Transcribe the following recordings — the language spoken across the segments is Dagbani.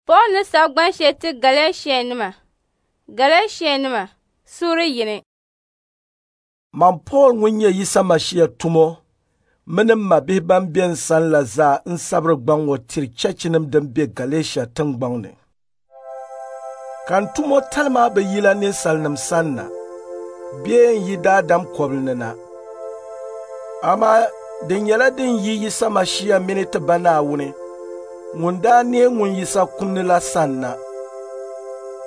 Paul ni sabi gban shɛli ti Galɛshianima. Galɛshianima suuri 1. Man Pool ŋun nyɛ Yisa Mashia tumo mini m mabihi ban be n sani la zaa n sabiri gbaŋ ŋɔ tiri chechinim din be Galɛshia tiŋgbɔŋ ni. Ka n tumo tali maa bi yila ninsalinim sanna bee n yi daadam kɔbili ni na. Amaa di nyɛla din yi Yisa Mashia mini ti Ba Naawuni ŋun daa neei ŋun Yisa kum ni la sanna.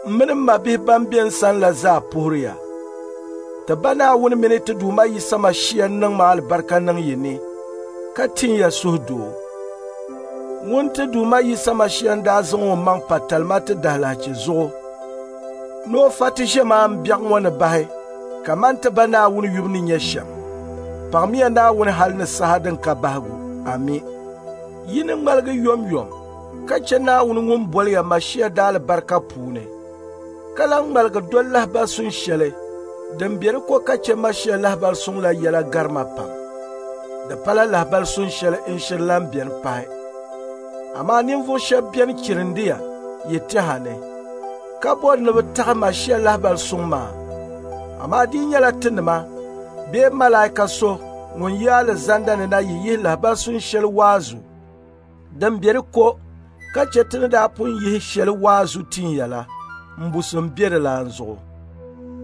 M mini m mabihi ban be n sani la zaa puhiri ya. Ti Ba Naawuni mini ti Duuma Yisa Mashia niŋ ma alibarika niŋ yi ni, ka tin ya suhudoo. Ŋun ti Duuma Yisa Mashia n-daa zaŋ o maŋ pa talima ti dahilahichi zuɣu ni o fa ti ʒiɛmaan biɛɣu ŋɔ ni bahi kaman ti Ba Naawuni yubu ni nyɛ shɛm. Paɣimiya Naawuni hali ni saha din ka bahigu. Ami. Yi ni ŋmaligi yomyom ka chɛ Naawuni ŋun boli ya Mashia daalibarika puuni, ka lan ŋmaligi doli lahibal sun shɛli din be di ko ka chɛ Mashia lahibal suŋ la yɛla gari ma pam. Di pala lahibal sun shɛli n-shiri lan beni pahi. Amaa ninvuɣ shɛb beni chirindi ya yi tɛha ni, ka bɔri ni bɛ taɣi Mashia lahibal suŋ maa. Amaa di yi nyɛla tinima bee malaika so ŋun yi alizanda ni na yi yihi lahibal sun shɛli waazu din be di ko ka chɛ ti ni daa pun yihi shɛli waazu tin ya la, mbusim be di lan zuɣu.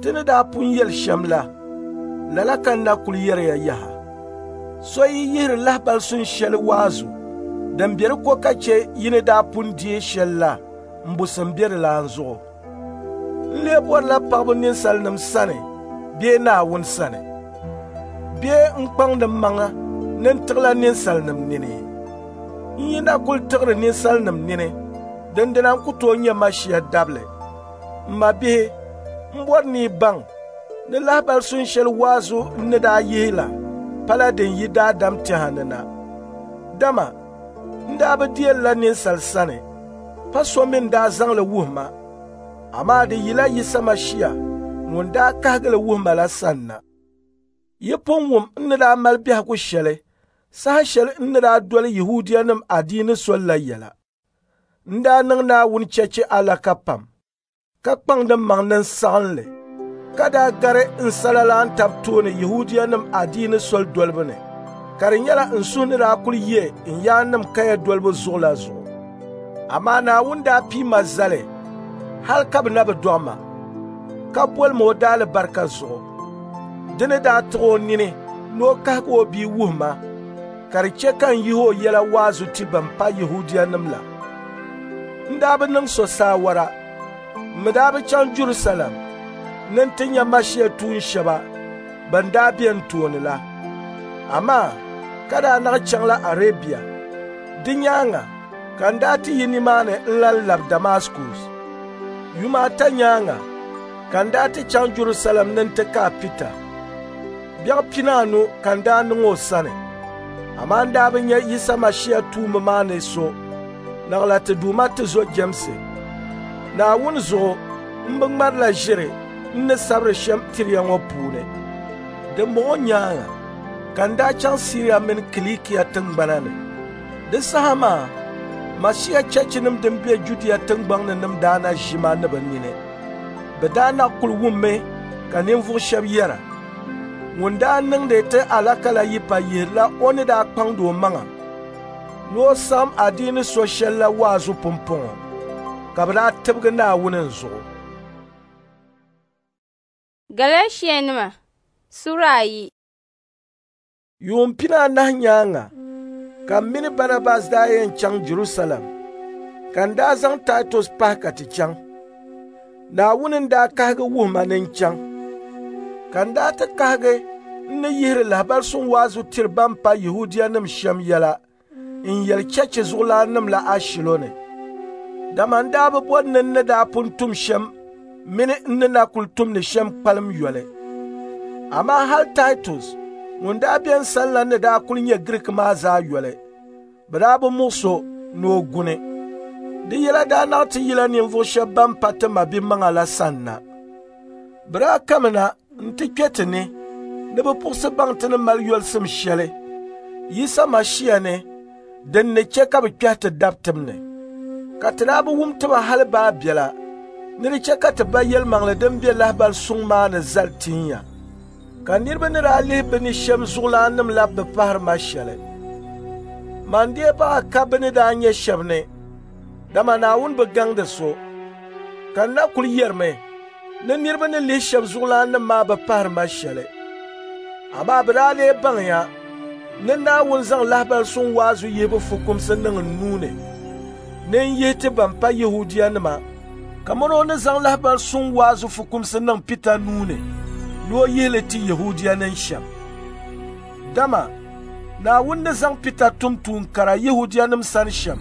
Ti ni daa pun yɛli shɛm la, lala ka n na kul yɛri ya yaha. So yi yihiri lahibal sun shɛli waazu din be di ko ka chɛ yi ni daa pun deei shɛli la, mbusim be di lan zuɣu. N lee bɔrila paɣibu ninsalinim sani bee Naawuni sani? Bee n kpaŋdi mmaŋa ni n tiɣila ninsalinim nini? N yi na kul tiɣiri ninsalinim nini, dindina n ku tooi nyɛ Mashia dabili. M mabihi, m bɔri ni yi baŋ ni lahibal sun shɛli waazu n ni daa yihi la pala din yi daadam tɛha ni na. Dama n daa bi deei li la ninsal sani, pa so mi n-daa zaŋ li wuhi ma, amaa di yila Yisa Mashia ŋun daa kahigi li wuhi ma la sanna. Yi pun wum n ni daa mali biɛhigu shɛli saha shɛli n ni daa doli Yɛhudianim adiini soli la yɛla. N daa niŋ Naawuni chechi alaka pam, ka kpaŋdi mmaŋ ni n saɣim li, ka daa gari n salalaan tab tooni Yɛhudianim adiini soli dolibu ni, ka di nyɛla n suhu ni daa kul ye n yaannim kaya dolibu zuɣu la zuɣu. Amaa Naawuni daa pii ma zali hal ka bɛ na bi dɔɣi ma, ka boli ma o daalibarika zuɣu. Di ni daa tiɣi o nini ni o kahigi o bia wuhi ma, ka di chɛ ka n yihi o yɛla waazu ti bɛn pa Yɛhudianim la. N daa bi niŋ so saawara, m mi daa bi chaŋ Jɛrusalɛm ni n ti nya Mashia tuun shɛba bɛn daa be n tooni la. Amaa ka daa naɣ chaŋla Arebia. Di nyaaŋa ka n daa ti yi nimaani n-lan labi Damaskus. Yuma ata nyaaŋa ka n daa ti chaŋ Jɛrusalɛm ni n ti kaai Pita. Biɛɣu 15 ka n daa niŋ o sani. Amaa n daa bi nya Yisa Mashia tuumba maa ni so, naɣila ti Duuma tizo Jɛmsi. Naawuni zuɣu m bi ŋmarila ʒiri n ni sabiri shɛm tiri ya ŋɔ puuni. Dimbɔŋɔ nyaaŋa ka n daa chaŋ Siria mini Kilikia tiŋgbana ni. Di saha maa Mashia chechinim din be Judia tiŋgbɔŋ ni nim daa na ʒi ma ni bɛ nini. Bɛ daa na kul wummi ka ninvuɣ shɛb yɛra, ŋun daa niŋdi ti alaka la yipa yihirila o ni daa kpaŋdi o maŋa ni o saɣim adiini so shɛl la waazu pumpɔŋɔ, ka bɛ daa tibigi Naawuni n zuɣu. Galɛshianima sura 2. Yuun 14 nyaaŋa ka m mini Banabas daa yɛn chaŋ Jɛrusalɛm, ka n daa zaŋ Taitus pahi ka ti chaŋ. Naawuni n-daa kahigi wuhi ma ni n chaŋ. Ka n daa ti kahigi n ni yihiri lahibal suŋ waazu tiri ban pa Yɛhudianim shɛm yɛla n yɛli chechi zuɣulaannim la ashilo ni. Dama n daa bi bɔri ni n ni daa pun tum shɛm mini n ni na kul tumdi shɛm kpalim yoli. Amaa hal Taitus ŋun daa be n sani la ni daa kul nyɛ Giriiki maa zaa yoli, bɛ daa bi muɣis o ni o guni. Di yɛla daa naɣ ti yila ninvuɣ shɛb ban pa ti mabimaŋa la sanna. Bɛ daa kamina nti kpe ti ni ni bɛ puɣisi baŋ ti ni mali yolisim shɛli Yisa Mashia ni din ni chɛ ka bɛ kpɛhi ti dabitim ni. Ka ti daa bi wum ti ba hali baa biɛla ni di chɛ ka ti ba yɛlimaŋli din be lahibali suŋ maa ni zali tin ya. Ka niriba ni daa lihi bɛ ni shɛm zuɣulaannim la bi pahiri ma shɛli. Man dee baɣa ka bɛ ni daa nyɛ shɛba ni, dama Naawuni bi gaŋdi so. Ka n na kul yɛrimi ni niriba ni lihi shɛba zuɣulaannim maa bi pahiri ma shɛli. Amaa bɛ daa lee baŋya ni Naawuni zaŋ lahibali suŋ waazu yihibu fukumsi niŋ n nuu ni ni n yihi ti ban pa Yɛhudianima kamani o ni zaŋ lahibali suŋ waazu fukumsi niŋ Pita nuu ni ni o yihi li ti Yɛhudianim shɛm. Dama Naawuni ni zaŋ Pita tum tuun kara Yɛhudianim sani shɛm,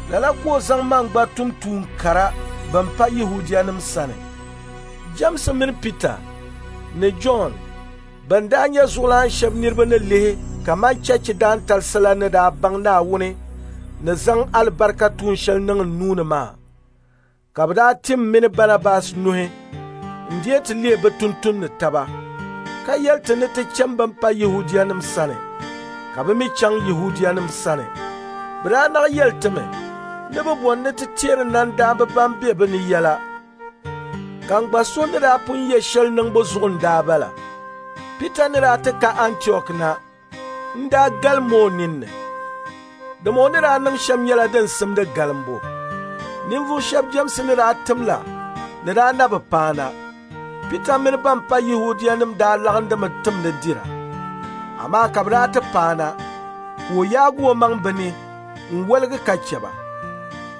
lala ka o zaŋ man gba tum tuun kara ban pa Yɛhudianim sani. Jɛmsi mini Pita ni Jɔn ban daa nyɛ zuɣulan shɛba niriba ni lihi kaman chechi daantalisi la ni daa baŋ Naawuni ni zaŋ alibarika tuun shɛli niŋ n nuu ni maa, ka bɛ daa tim m mini Banabas nuhi n-deei ti leei bɛ tuntumdi taba, ka yɛli ti ni ti chani bɛn pa Yɛhudianim sani, ka bɛ mi chaŋ Yɛhudianim sani. Bɛ daa naɣ yɛli ti mi ni bɛ bɔri ni ti teeri nandaamba ban be bɛ ni yɛla, ka n gba suhu ni daa pun ye shɛli niŋbu zuɣu n-daa bala. Pita ni daa ti ka Antiɔk na, n daa galim o ninni, dama o ni daa niŋ shɛm nyɛla din simdi galimbu. Ninvuɣ shɛb Jɛmsi ni daa tim la ni daa na bi paana. Pita mini ban pa Yɛhudianim daa laɣindimi timdi dira. Amaa ka bɛ daa ti paana, ka o yaagi o maŋ bɛ ni n-woligi ka chɛ ba,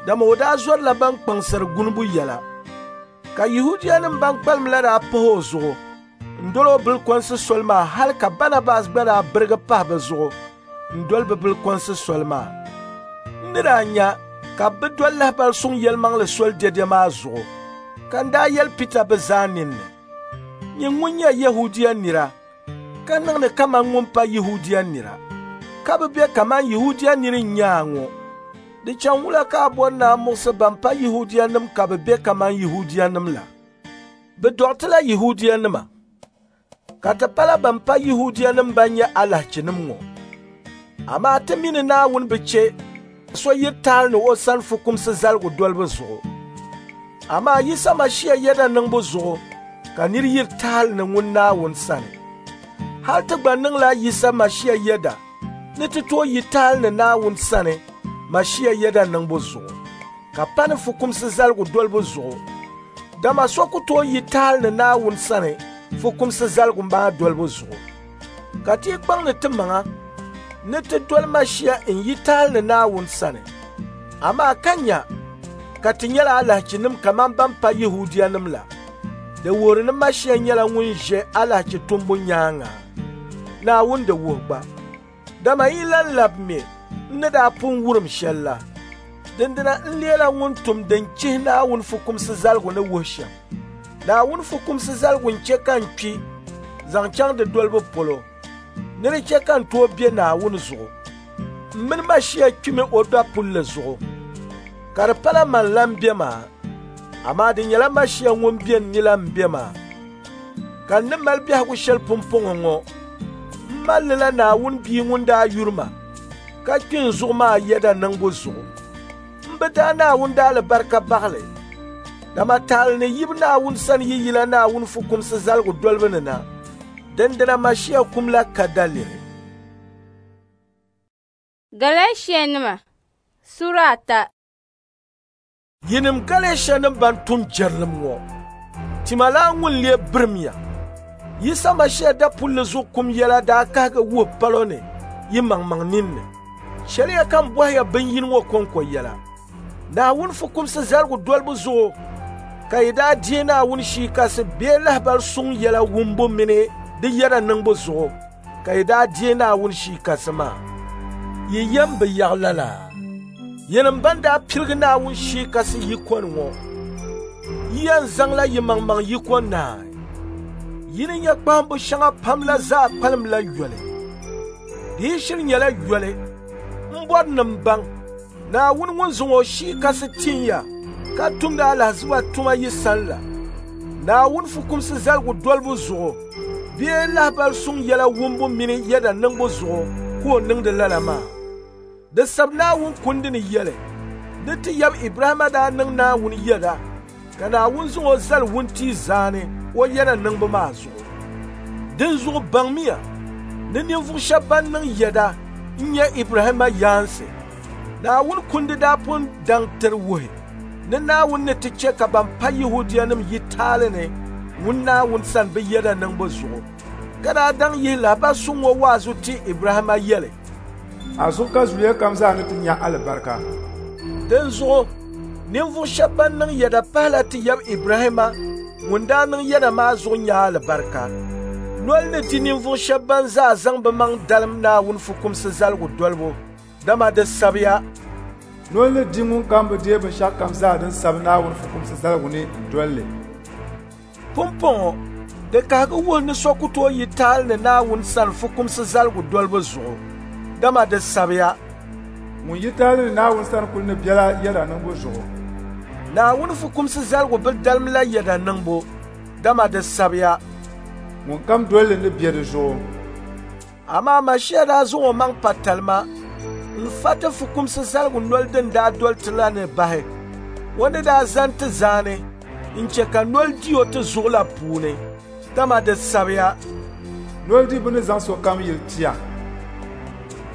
dama o daa zɔrila ban kpaŋsiri gunibu yɛla. Ka Yɛhudianim ban kpalim la daa pahi o zuɣu n-doli o bilikɔnsi soli maa hali ka Banabas gba daa birigi pahi bɛ zuɣu n-doli bɛ bilikɔnsi soli maa. N ni daa nya ka bɛ doli lahibali suŋ yɛlimaŋli soli dɛdɛ maa zuɣu, ka n daa yɛli Pita bɛ zaa ninni, nyin ŋun nyɛ Yɛhudia nira ka niŋdi kaman ŋun pa Yɛhudia nira, ka bi be kaman Yɛhudia nir n-nyɛ a ŋɔ. Di chaŋ wula ka a bɔri ni a muɣisi ban pa Yɛhudianim ka bɛ be kaman Yɛhudianim la? Bɛ dɔɣitila Yɛhudianima, ka ti pala ban pa Yɛhudianim ban nyɛ alahichinim ŋɔ. Amaa ti mi ni Naawuni bi chɛ so yiri taali ni o sani fukumsi zaligu dolibu zuɣu. Amaa Yisa Mashia yɛda niŋbu zuɣu ka nir yiri taali ni ŋun Naawuni sani. Hal ti gba niŋla Yisa Mashia yɛda ni ti tooi yi taali ni Naawuni sani Mashia yɛda niŋbu zuɣu, ka pa ni fukumsi zaligu dolibu zuɣu. Dama so ku tooi yi taali ni Naawuni sani fukumsi zaligu maa dolibu zuɣu. Ka ti kpaŋdi ti maŋa ni ti doli Mashia n-yi taali ni Naawuni sani. Amaa ka nya ka ti nyɛla alahichinim kaman ban pa Yɛhudianim la. Di wuhiri ni Mashia nyɛla ŋun ʒe alahichi tumbu nyaaŋa. Naawuni di wuhi gba. Dama yi lan labi me n ni daa pun wurim shɛli la, dindina n leela ŋun tum din chihi Naawuni fukumsi zaligu ni wuhi shɛm. Naawuni fukumsi zaligu n-chɛ ka n kpi zaŋ chaŋ di dolibu polo, ni di chɛ ka n tooi be Naawuni zuɣu. M mini Mashia kpimi o dapulli zuɣu, ka di pala man la m-be maa, amaa di nyɛla Mashia ŋun be n ni la m-be maa. Ka n ni mali biɛhigu shɛli pumpɔŋɔ ŋɔ, m mali li la Naawuni Bia ŋun daa yuri ma ka kpi n zuɣu maa yɛda niŋbu zuɣu. M bi daa Naawuni daalibarika baɣili, dama taali ni yibu Naawuni sani yi yila Naawuni fukumsi zaligu dolibu ni na, dindina Mashia kum la ka daliri. Galɛshianima Sura ata. Yinim Galɛshianim ban tum jɛrilim ŋɔ, tima laa ŋun lee birimya. Yisa Mashia dapulli zuɣu kum yɛla daa kahigi wuhi palo ni yi maŋmaŋ ninni. Chɛliya ka n bɔhiya bin yini ŋɔ kɔŋko yɛla. Naawuni fukumsi zaligu dolibu zuɣu ka yi daa deei Naawuni Shii Kasi bee lahibali suŋ yɛla wumbu mini di yɛda niŋbu zuɣu ka yi daa deei Naawuni Shii Kasi maa. Yi yɛm bi yaɣi lala. Yinim ban daa piligi Naawuni Shii Kasi yiko ni ŋɔ, yi yɛn zaŋla yi maŋmaŋ yiko naai. Yi ni nya kpahimbu shɛŋa pam la zaa kpalimla yoli. Di yi shiri nyɛla yoli, m bɔri ni m baŋ Naawuni ŋun zaŋ o Shii Kasi tin ya ka tumdi alahiziba tuma yi sani la, Naawuni fukumsi zaligu dolibu zuɣu bee lahibali suŋ yɛla wumbu mini yɛda niŋbu zuɣu ka o niŋdi lala maa. Di sabi Naawuni kundi ni yɛli, Ni ti yab Ibrahimma daa niŋ Naawuni yɛda, ka Naawuni zaŋ o zali wuntia zaani o yɛda niŋbu maa zuɣu. Dinzuɣu baŋmiya ni ninvuɣ shɛb ban niŋ yɛda n-nyɛ Ibrahimma yaansi. Naawuni kundi daa pun daŋ tiri wuhi ni Naawuni ni ti chɛ ka ban pa Yɛhudianim yi taali ni ŋun Naawuni sani bɛ yɛda niŋbu zuɣu, ka daa daŋ yihi lahibal suŋ ŋɔ waazu ti Ibrahimma yɛli, A zuɣu ka zuliya kam zaa ni ti nya alibarika. Dinzuɣu ninvuɣ shɛb ban niŋ yɛda pahila ti yab Ibrahimma ŋun daa niŋ yɛda maa zuɣu nya alibarika. Noli ni di ninvuɣ shɛb ban zaa zaŋ bɛ maŋ dalim Naawuni fukumsi zaligu dolibu, dama di sabiya, Noli ni di ŋunkam bi deei binshɛɣukam zaa din sabi Naawuni fukumsi zaligu ni n-dol li. Pumpɔŋɔ di kahigi wuhi ni so ku tooi yi taali ni Naawuni sani fukumsi zaligu dolibu zuɣu, dama di sabiya, Ŋun yi taali ni Naawuni sani kul ni bela yɛda niŋbu zuɣu. Naawuni fukumsi zaligu bi dalimla yɛda niŋbu, dama di sabiya, Ŋunkam dol li ni be di zuɣu. Amaa Mashia daa zaŋ o maŋ pa talima n-fa ti fukumsi zaligu noli din daa doli ti la ni bahi. O ni daa zani ti zaani n-chɛ ka noli di o ti zuɣu la puuni, dama di sabiya, Noli di bɛ ni zaŋ sokam yili tia.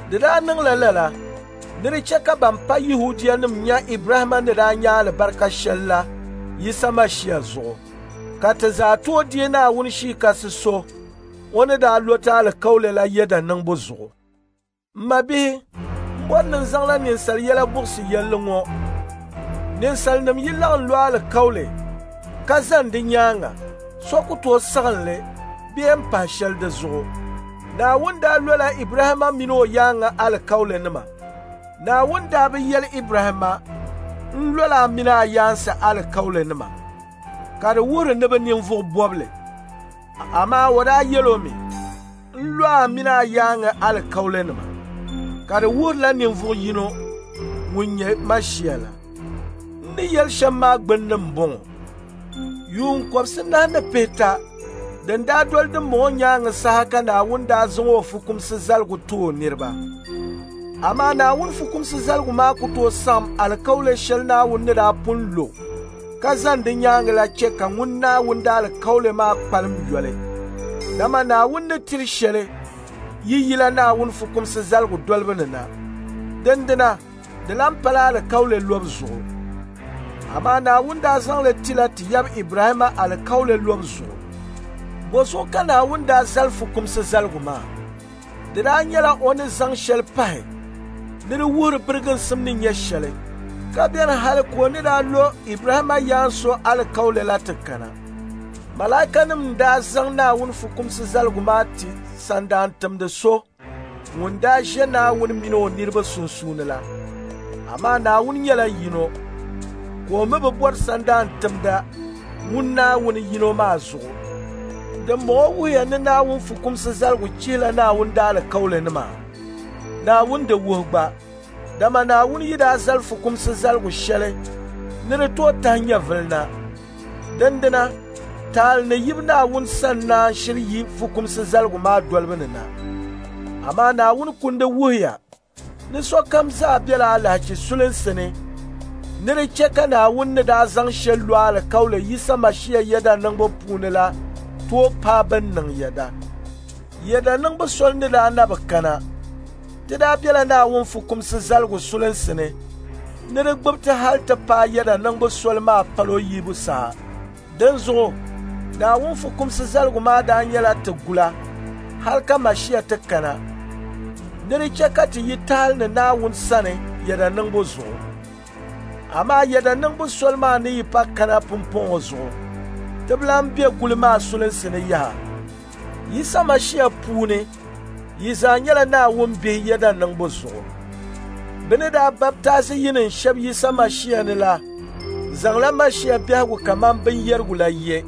Di daa niŋla lala ni di chɛ ka ban pa Yɛhudianim nya Ibrahimma ni daa nya alibarika shɛl la Yisa Mashia zuɣu, ka ti zaa tooi deei Naawuni Shii Kasi so o ni daa lo ti alikauli la yɛda niŋbu zuɣu. M mabihi, m bɔri ni n zaŋla ninsal yɛla buɣisi yɛlli ŋɔ. Ninsalinim yi laɣim lo alikauli ka zani di nyaaŋa, so ku tooi saɣim li bee m-pahi shɛli di zuɣu. Naawuni daa lola Ibrahimma mini o yaaŋa alikaulinima. Naawuni daa bi yɛli Ibrahimma, N lola a mini a yaansi alikaulinima, ka di wuhiri ni bɛ ninvuɣ bɔbili. Amaa o daa yɛl o mi, N lo a mini a yaaŋa alikaulinima, ka di wuhirila ninvuɣ yino ŋun nyɛ Mashia la. N ni yɛli shɛm maa gbunni m-bɔŋɔ. Yuun kɔbisinahi ni pihita din daa doli dimbɔŋɔ nyaaŋa saha ka Naawuni daa zaŋ o fukumsi zaligu ti o niriba. Amaa Naawuni fukumsi zaligu maa ku tooi saɣim alikauli shɛli Naawuni ni daa pun lo ka zani di nyaaŋa la chɛ ka ŋun Naawuni daalikauli maa kpalim yoli. Dama Naawuni ni tiri shɛli yi yila Naawuni fukumsi zaligu dolibu ni na. Dindina di lan pala alikauli lobu zuɣu. Amaa Naawuni daa zaŋ li tila ti yab Ibrahimma alikauli lobu zuɣu. Bɔzuɣu ka Naawuni daa zali fukumsi zaligu maa? Di daa nyɛla o ni zaŋ shɛli pahi ni di wuhiri biriginsim ni nyɛ shɛli, ka beni hali ka o ni daa lo Ibrahimma yaan so alikauli la ti kana. Malaikanim n-daa zaŋ Naawuni fukumsi zaligu maa ti sandaantimdi so ŋun daa ʒe Naawuni mini o niriba sunsuuni la. Amaa Naawuni nyɛla yino, ka o mi bi bɔri sandaantimda ŋun Naawuni yino maa zuɣu. Dimbɔŋɔ wuhiya ni Naawuni fukumsi zaligu chihila Naawuni daalikaulinima? Naawuni di wuhi gba, dama Naawuni yi daa zali fukumsi zaligu shɛli ni di tooi tahi nyɛvili na. Dindina, taali ni yibu Naawuni sani naan shiri yi fukumsi zaligu maa dolibu ni na. Amaa Naawuni kundi wuhiya ni sokam zaa bela alahichi sulinsi ni, ni di chɛ ka Naawuni ni daa zaŋ shɛli lo alikauli Yisa Mashia yɛda niŋbu puuni la tooi paai bɛn niŋ yɛda. Yɛda niŋbu soli ni daa na bi kana, ti daa bela Naawuni fukumsi zaligu sulinsi ni, ni di gbubi ti hali ti paai yɛda niŋbu soli maa palo yibu saha. Dinzuɣu Naawuni fukumsi zaligu maa daa nyɛla ti gula hali ka Mashia ti kana, ni di chɛ ka ti yi taali ni Naawuni sani yɛda niŋbu zuɣu. Amaa yɛda niŋbu soli maa ni yi pa kana pumpɔŋɔ zuɣu, ti bi lan be guli maa sulinsi ni yaha. Yisa Mashia puuni, yi zaa nyɛla Naawuni bihi yɛda niŋbu zuɣu. Bɛ ni daa baptaizi yinim shɛb Yisa Mashia ni la zaŋla Mashia biɛhigu kaman binyɛrigu la ye.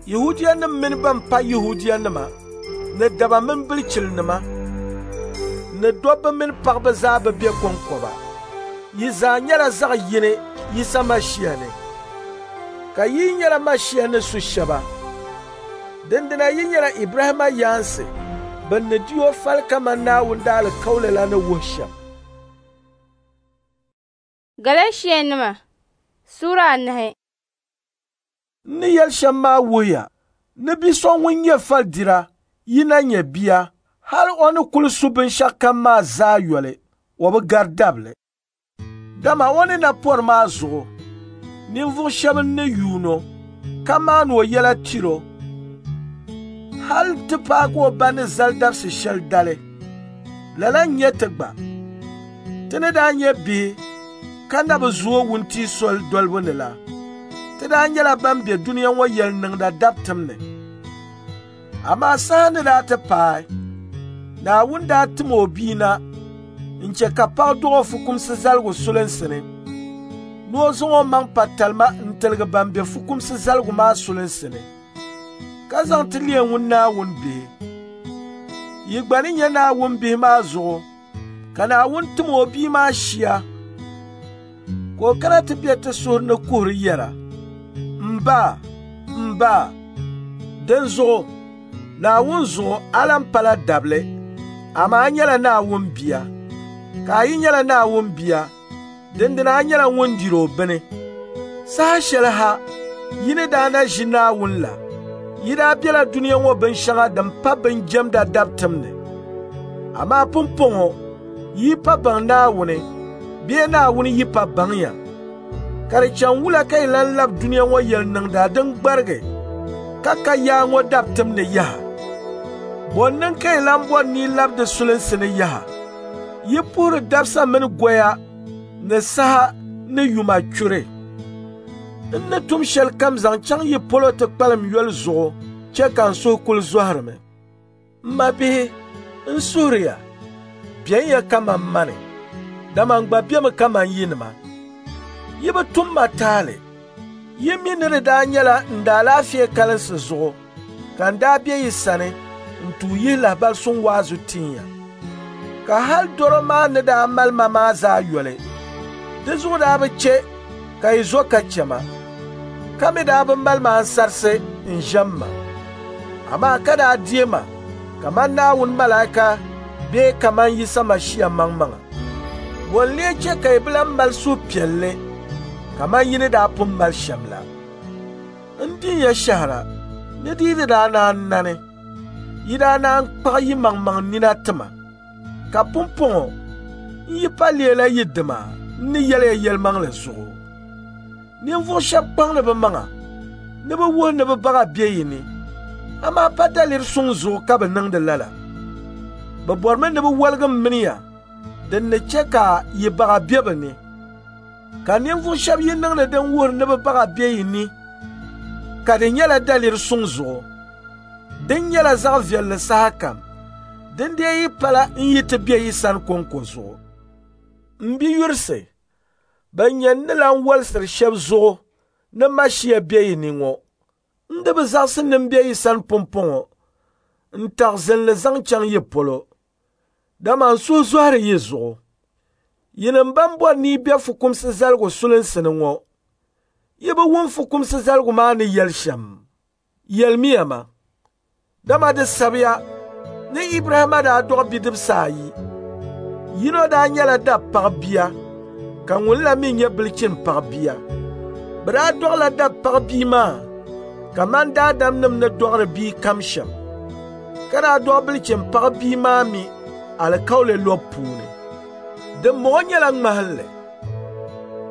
Yɛhudianim mini ban pa Yɛhudianima, ni daba mini bilichilinima, ni dobba mini paɣiba zaa bi be kɔŋkɔba. Yi zaa nyɛla zaɣ yini Yisa Mashia ni. Ka yi nyɛla Mashia ni su shɛba. Dindina yi nyɛla Ibrahimma yaansi bɛn ni di o fali kaman Naawuni daalikauli la ni wuhi shɛm. Galɛshianima suura 4. N ni yɛli shɛm maa wuhiya ni bi so ŋun nyɛ falidira yi na nyɛ bia, hal o ni kul su binshɛɣukam maa zaa yoli, o bi gari dabili. Dama o ni na pɔri maa zuɣu, ninvuɣ shɛba n-ni yuun o, ka maani o yɛla tiri o, hal ti paagi o ba ni zali dabisi shɛli dali. Lala n-nyɛ ti gba. Ti ni daa nyɛ bihi ka na bi zooi wuntia soli dolibu ni la, ti daa nyɛla ban be dunia ŋɔ yɛliniŋda dabitim ni. Amaa saha ni daa ti paai, Naawuni daa tim o bia na n-chɛ ka paɣ dɔɣ o fukumsi zaligu sulinsi ni, ni o zaŋ o maŋ pa talima n-tiligi ban be fukumsi zaligu maa sulinsi ni, ka zaŋ ti leei ŋun Naawuni bihi. Yi gba ni nyɛ Naawuni bihi maa zuɣu ka Naawuni tim o bia maa shia ka o kana ti be ti suhuri ni kuhiri yɛra, M ba, m ba. Dinzuɣu Naawuni zuɣu a lan pala dabili, amaa a nyɛla Naawuni bia. Ka a yi nyɛla Naawuni bia, dindina a nyɛla ŋun diri o bini. Saha shɛli ha yi ni daa na ʒi Naawuni la, yi daa bela dunia ŋɔ binshɛŋa din pa binjɛmda dabitim ni. Amaa pumpɔŋɔ yi pa baŋ Naawuni bee Naawuni yi pa baŋ ya. Ka di chaŋ wula ka yi lan labi dunia ŋɔ yɛliniŋda din gbarigi ka ka yaa ŋɔ dabitim ni yaha? Bɔ n-niŋ ka yi lan bɔri ni yi labi di sulinsi ni yaha? Yi puhiri dabisa mini goya ni saha ni yuma churi. N ni tum shɛlikam zaŋ chaŋ yi polo ti kpalim yoli zuɣu chɛ ka n suhu kul zɔhirimi. M mabihi, n suhiri ya, benya kaman mani, dama n gba bemi kaman yinima. Yi bi tum ma taali. Yi mi ni di daa nyɛla n daalaafee kalinsi zuɣu ka n daa be yi sani n tuui yihi lahibali suŋ waazu tin ya. Ka hal dɔro maa ni daa mali ma maa zaa yoli, di zuɣu daa bi chɛ ka yi zo ka chɛ ma, ka mi daa bi mali ma ansarisi n-ʒɛm ma. Amaa ka daa deei ma kaman Naawuni malaika bee kaman Yisa Mashia maŋmaŋa. Bɔ n-lee chɛ ka yi bi lan mali suhupiɛlli kaman yi ni daa pun mali shɛm la? N din ya shɛhira ni di yi di daa naan nani, yi daa naan kpaɣi yi maŋmaŋ nina ti ma. Ka pumpɔŋɔ n yi pa leela yi dima n ni yɛli ya yɛlimaŋli zuɣu. Ninvuɣ shɛb kpaŋdi bɛ maŋa ni bɛ wuhi ni bɛ baɣa be yi ni, amaa pa daliri suŋ zuɣu ka bɛ niŋdi lala. Bɛ bɔrimi ni bɛ woligi m mini ya din ni chɛ ka yi baɣa be bɛ ni. Ka ninvuɣ shɛb yi niŋdi din wuhiri ni bɛ baɣa be yi ni, ka di nyɛla daliri suŋ zuɣu. Din nyɛla zaɣ viɛlli sahakam, din dee yi pala n yi ti be yi sani kɔŋko zuɣu. M biyurisi, bɛn nyɛ n ni lan wolisiri shɛb zuɣu ni Mashia be yi ni ŋɔ, n di bi zaɣisi ni m be yi sani pumpɔŋɔ n-taɣi zinli zaŋ chaŋ yi polo, dama n suhu zɔhiri yi zuɣu. Yinim bɛn bɔri ni yi be fukumsi zaligu sulinsi ni ŋɔ, yi bi wum fukumsi zaligu maa ni yɛli shɛm? Yɛlimiya ma. Dama di sabiya ni Ibrahima daa dɔɣi bidibisi ayi. Yino daa nyɛla dab paɣ bia, ka ŋun la mi nyɛ bilichin paɣ bia. Bɛ daa dɔɣila dab paɣ bia maa kaman daadamnim ni dɔɣiri bia kam shɛm, ka daa dɔɣi bilichin paɣ bia maa mi alikauli lɔbu puuni. Dimbɔŋɔ nyɛla ŋmahinli.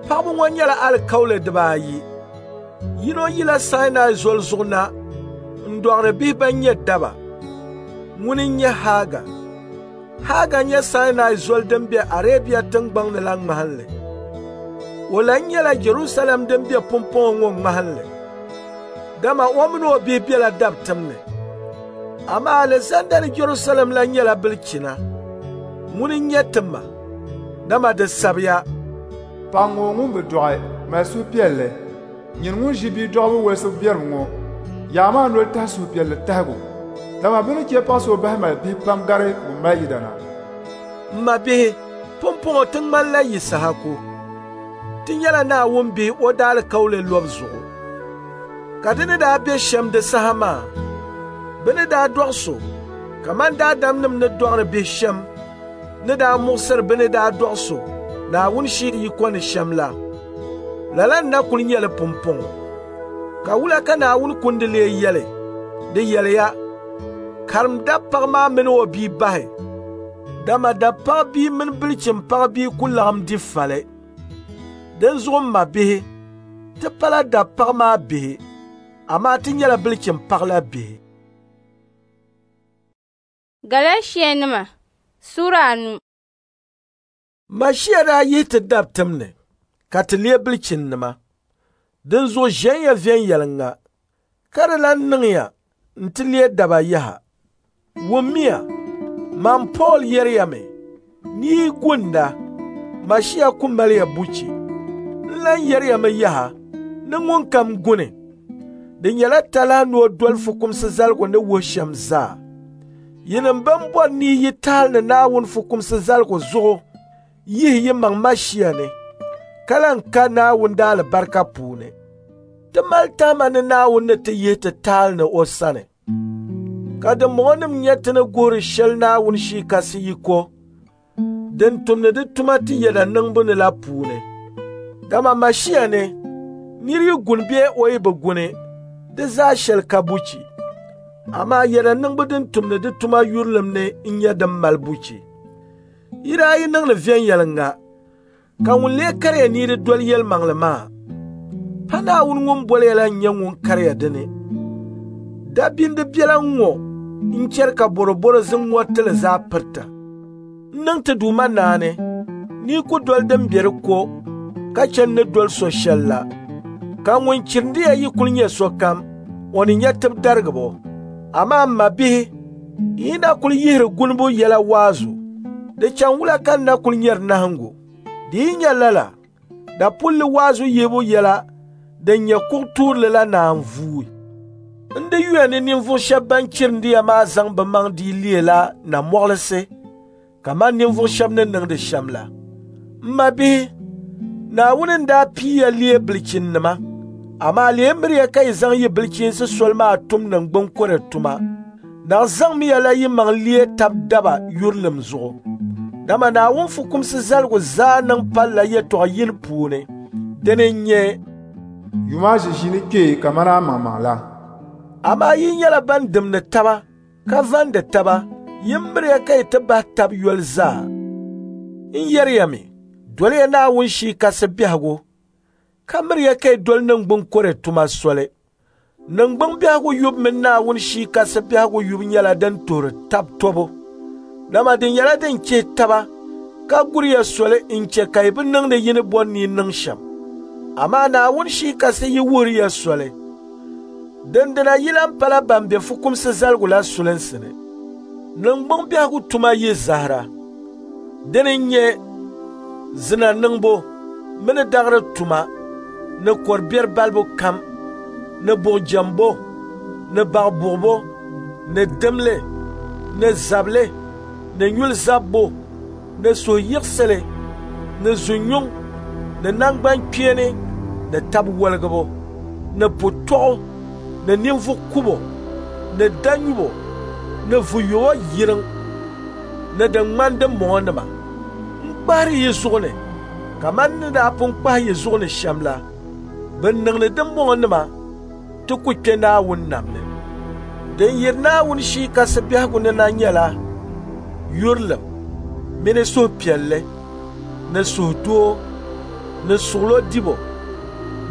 Paɣiba ŋɔ nyɛla alikauli dibaayi. Yino yila Sinai Zoli zuɣu na n-dɔɣiri bihi bɛn nyɛ daba. Ŋuni n-nyɛ Haga. Haga nyɛ Sinai Zoli din be Arabia tiŋgbɔŋ ni la ŋmahinli. O lan nyɛla Jɛrusalɛm din be pumpɔŋɔ ŋɔ ŋmahinli, dama o mini o bihi bela dabitim ni. Amaa alizanda ni Jɛrusalɛm la nyɛla bilichina. Ŋuni n-nyɛ ti ma, dama di sabiya, Paɣ ŋɔ ŋun bi dɔɣi mali suhupiɛlli, nyini ŋun ʒi bia dɔɣibu wolisibu biɛrim ŋɔ, yaɣimi a noli tahi suhupiɛlli tahigu, dama bɛ ni chɛ paɣ so bahi mali bihi pam gari ŋun mali yidana. M mabihi, pumpɔŋɔ ti ŋmanila Yisahaku. Ti nyɛla Naawuni bihi o daalikauli lɔbu zuɣu. Ka di ni daa be shɛm di saha maa, bɛ ni daa dɔɣi so kaman daadamnim ni dɔɣiri bihi shɛm ni daa muɣisiri bɛ ni daa dɔɣi so Naawuni Shia yiko ni shɛm la, lala n-na kul nyɛ li pumpɔŋɔ. Ka wula ka Naawuni kundi lee yɛli? Di yɛliya, karim dabipaɣ maa mini o bia bahi, dama dabipaɣ bia mini bilichimpaɣ bia ku laɣim di fali. Dinzuɣu m mabihi, ti pala dabipaɣ maa bihi, amaa ti nyɛla bilichimpaɣ la bihi. Galatianima Sura 5. Mashia daa yihi ti dabitim ni, ka ti leei bilichinnima. Dinzuɣu ʒiɛnya viɛnyɛliŋga, ka di lan niŋya nti leei daba yaha. Wummiya, man Pool yɛriyami ni yi gunda, Mashia ku maliya buchi. N lan yɛriyami yaha ni ŋunkam guni, di nyɛla talahi ni o doli fukumsi zaligu ni wuhi shɛm zaa. Yinim bɛn bɔri ni yi tahili ni Naawuni fukumsi zaligu zuɣu yihi yi maŋ Mashia ni, ka lan ka Naawuni daalibarika puuni. Ti mali tahima ni Naawuni ni ti yihi ti tahili ni o sani. Ka dimbɔŋɔnim nyɛ ti ni guhiri shɛli Naawuni Shii Kasi yiko din tumdi di tuma ti yɛda niŋbu ni la puuni. Dama Mashia ni, nir yi guni bee o yi bi guni, di zaa shɛli ka buchi. Amaa yɛda niŋbu din tumdi di tuma yurilim ni n-nyɛ din mali buchi. Yi daa yi niŋdi viɛnyɛliŋga, ka ŋun lee kariya ni yi di doli yɛlimaŋli maa? Pa Naawuni ŋun boli ya la n-nyɛ ŋun kariya di ni. Dabindi biɛla ŋ-ŋɔ n-chɛri ka bɔrɔbɔro ziŋ ŋɔriti li zaa pirita. N niŋ ti Duuma naani ni yi ku doli din be di ko ka chɛ n ni doli so shɛli la. Ka ŋun chirindi ya yi kul nyɛ sokam, o ni nya tibidarigibo. Amaa m mabihi, yi na kul yihiri gunibu yɛla waazu, di chaŋ wula ka n na kul nyari nahiŋgu? Di yi nyɛ lala, dapulli waazu yihibu yɛla din nyɛ kuɣ tuurili la naan vuui. N di yuya ni ninvuɣ shɛb ban chirindi ya maa zaŋ bɛ maŋ dii leela namɔɣilisi kaman ninvuɣ shɛb ni niŋdi shɛm la. M mabihi, Naawuni n-daa pii ya leei bilichinnima, amaa lee miriya ka yi zaŋ yi bilichiinsi soli maa tum niŋgbuŋ kɔre tuma. Naɣ zaŋmiya la yi maŋ leei tab daba yurilim zuɣu. Dama Naawuni fukumsi zaligu zaa niŋ palila yɛtɔɣ yini puuni. Dini n-nyɛ, Yum a ʒiʒiini kpee kaman amaŋmaŋ la. Amaa yi nyɛla ban dimdi taba ka vandi taba, yin miriya ka yi ti bahi tab yoli zaa. N yɛriya mi, doliya Naawuni Shii Kasi biɛhigu, ka miriya ka yi doli niŋgbuŋ kɔre tuma soli. Niŋgbuŋ biɛhigu yubu mini Naawuni Shii Kasi biɛhigu yubu nyɛla din tuhiri tab tɔbu, dama di nyɛla din chihi taba ka guriya soli n-chɛ ka yi bi niŋdi yi ni bɔri ni yi niŋ shɛm. Amaa Naawuni Shii Kasi yi wuhiri ya soli, dindina yi lan pala ban be fukumsi zaligu la sulinsi ni. Niŋgbuŋ biɛhigu tuma yi zahira. Dini n-nyɛ zina niŋbu mini daɣiri tuma ni kɔr biɛri balibu kam ni buɣijɛmbo ni baɣibuɣibo ni dimli ni zabili ni nyuli zabbu ni suhuyiɣisili ni zunyuŋ ni naŋgbankpeeni ni tab woligibu ni putɔɣu ni ninvuɣ kubo ni danyubo ni vuyubo yiriŋ ni din ŋmani dimbɔŋɔnima. N kpahiri yi zuɣu ni kaman n ni daa pun kpahi yi zuɣu ni shɛm la, bɛn niŋdi dimbɔŋɔnima ti ku kpe Naawuni nam ni. Din yiri Naawuni Shii Kasi biɛhigu ni na nyɛla yurilim mini suhupiɛlli ni suhudoo ni suɣilo dibu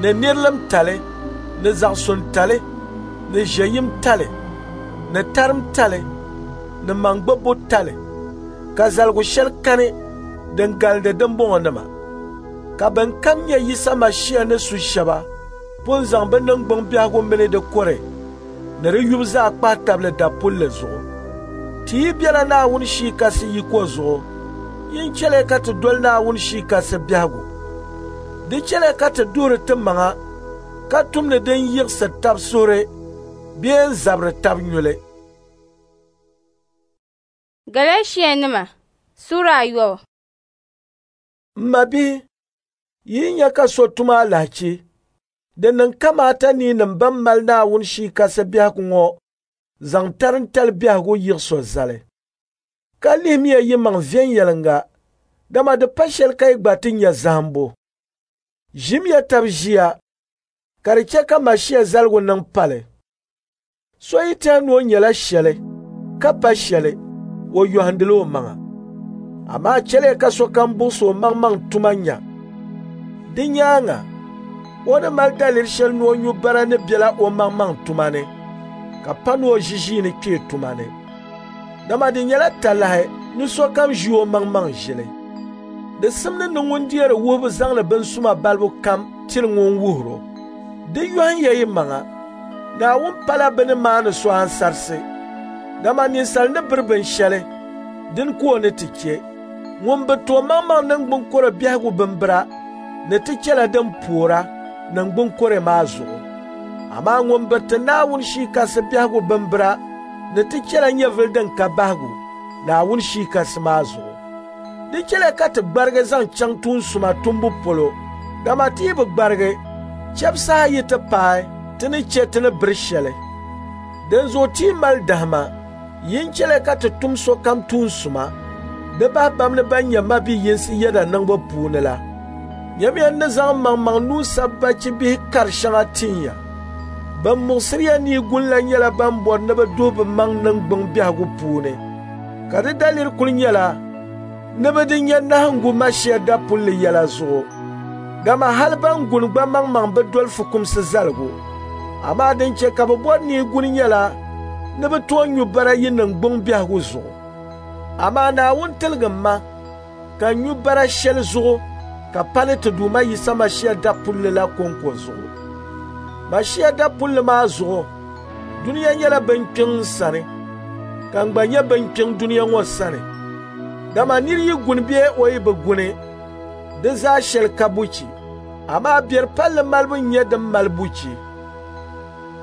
ni nirilimtali ni zaɣisuntali ni ʒiɛyimtali ni tarimtali ni maŋgbibbu tali, ka zaligu shɛli kani din galindi dimbɔŋɔnima. Ka bɛn kam nyɛ Yisa Mashia ni su shɛba pun zaŋ bɛ niŋgbuŋ biɛhigu mini di kɔre ni di yubu zaa kpahi tabili dapulli zuɣu. Ti yi bela Naawuni Shii Kasi yiko zuɣu, yin chɛliya ka ti doli Naawuni Shii Kasi biɛhigu. Di chɛliya ka ti duhiri ti maŋa ka tumdi din yiɣisiri tab suhuri bee n-zabiri tab nyuli. Galatianima Sura 9. M mabihi, yi nya ka so tum alahichi, di niŋ kamaata ni yinim bɛn mali Naawuni Shii Kasi biɛhigu ŋɔ zaŋ tarintali biɛhigu yiɣis o zali. Ka lihimiya yimaŋ viɛnyɛliŋga Dama di pa shɛli ka yi gba ti nya zahimbu. Ʒimiya tab ʒiya ka di chɛ ka Mashia zaligu niŋ pali. So yi tɛhi ni o nyɛla shɛli ka pa shɛli, o yɔhindila o maŋa. Amaa chɛliya ka sokam buɣisi o maŋmaŋ tuma nya. Di nyaaŋa, o ni mali daliri shɛli ni o nyu bara ni bela o maŋmaŋ tuma ni, ka pa ni o ʒi ʒiini kpee tuma ni. Dama di nyɛla talahi ni sokam ʒi o maŋmaŋ ʒili. Di simdi ni ŋun deeri wuhibu zaŋdi binsuma balibu kam tiri ŋun wuhiri o. Di yɔhim ya yi maŋa. Naawuni pala bɛ ni maani so ansarisi. Dama ninsal ni biri binshɛli, dini ka o ni ti chɛ. Ŋun bi ti o maŋmaŋ niŋgbuŋ kɔre biɛhigu bimbira ni ti chɛla din poora niŋgbuŋ kɔre maa zuɣu. Amaa ŋun biriti Naawuni Shii Kasi biɛhigu bimbira ni ti chɛla nyɛvili din ka bahigu Naawuni Shii Kasi maa zuɣu. Di chɛliya ka ti gbarigi zaŋ chaŋ tuun suma tumbu polo, dama ti yi bi gbarigi, chɛbu saha yi ti paai ti ni chɛ ti ni biri shɛli. Dinzuɣu ti yi mali dahima, yin chɛliya ka ti tum sokam tuun suma, di bahi bamni ban nyɛ mabi yinsi yɛda niŋbu puuni la. Nyamiya n ni zaŋ maŋmaŋ nuu sabi bachi bihi kar shɛŋa tin ya. Ban muɣisiri ya ni yi guni la nyɛla ban bɔri ni bɛ duhi bɛ maŋ niŋgbuŋ biɛhigu puuni, ka di daliri kuli nyɛla ni bɛ di nya nahiŋgu Mashia dapulli yɛla zuɣu. Dama hali ban guni gba maŋmaŋ bi doli fukumsi zaligu. Amaa din chɛ ka bɛ bɔri ni yi guni nyɛla ni bɛ tooi nyu bara yi niŋgbuŋ biɛhigu zuɣu. Amaa Naawuni tiligim ma ka n nyu bara shɛli zuɣu ka pa ni ti Duuma Yisa Mashia dapulli la kɔŋko zuɣu. Mashia dapulli maa zuɣu, dunia nyɛla binkpiŋ n sani, ka n gba nyɛ binkpiŋ dunia ŋɔ sani. Dama nir yi guni bee o yi bi guni, di zaa shɛli ka buchi, amaa biɛri palli malibu n-nyɛ din mali buchi.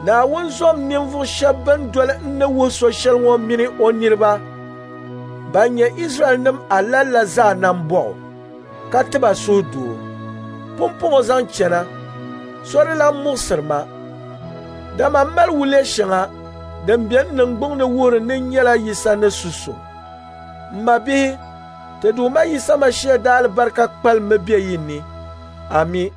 Naawuni zom ninvuɣ shɛba bɛn doli n ni wuhi so shɛli ŋɔ mini o niriba ban nyɛ Izraɛlnim alali la zaa nambɔɣu, ka ti ba suhudoo. Pumpɔŋɔ zaŋ chana, so di lan muɣisiri ma, dama m mali wuliya shɛŋa din be n niŋgbuŋ ni wuhiri ni n nyɛla Yisa ni su so. M mabihi, ti Duuma Yisa Mashia daalibarika kpalimmi be yi ni. Ami.